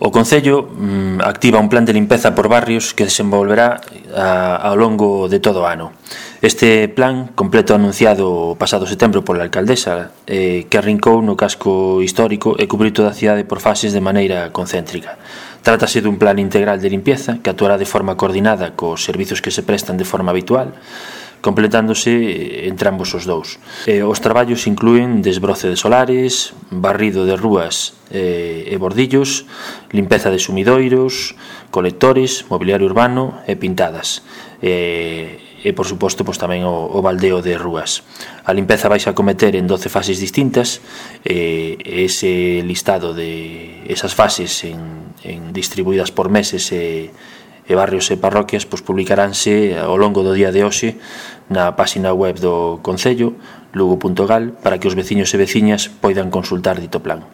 O Concello activa un plan de limpeza por barrios que desenvolverá ao longo de todo o ano. Este plan, completo anunciado o pasado setembro pola alcaldesa, que arrincou no casco histórico e cubriu toda a cidade por fases de maneira concéntrica. Trátase dun plan integral de limpieza que actuará de forma coordinada cos servizos que se prestan de forma habitual, completándose entre ambos os dous. Os traballos inclúen desbroce de solares, barrido de rúas e bordillos, limpeza de sumidoiros, colectores, mobiliario urbano e pintadas. E por suposto tamén o baldeo de rúas. A limpeza vais a cometer en 12 fases distintas, ese listado de esas fases distribuídas por meses e barrios e parroquias publicaránse ao longo do día de hoxe na página web do Concello, lugo.gal, para que os veciños e veciñas poidan consultar dito plan.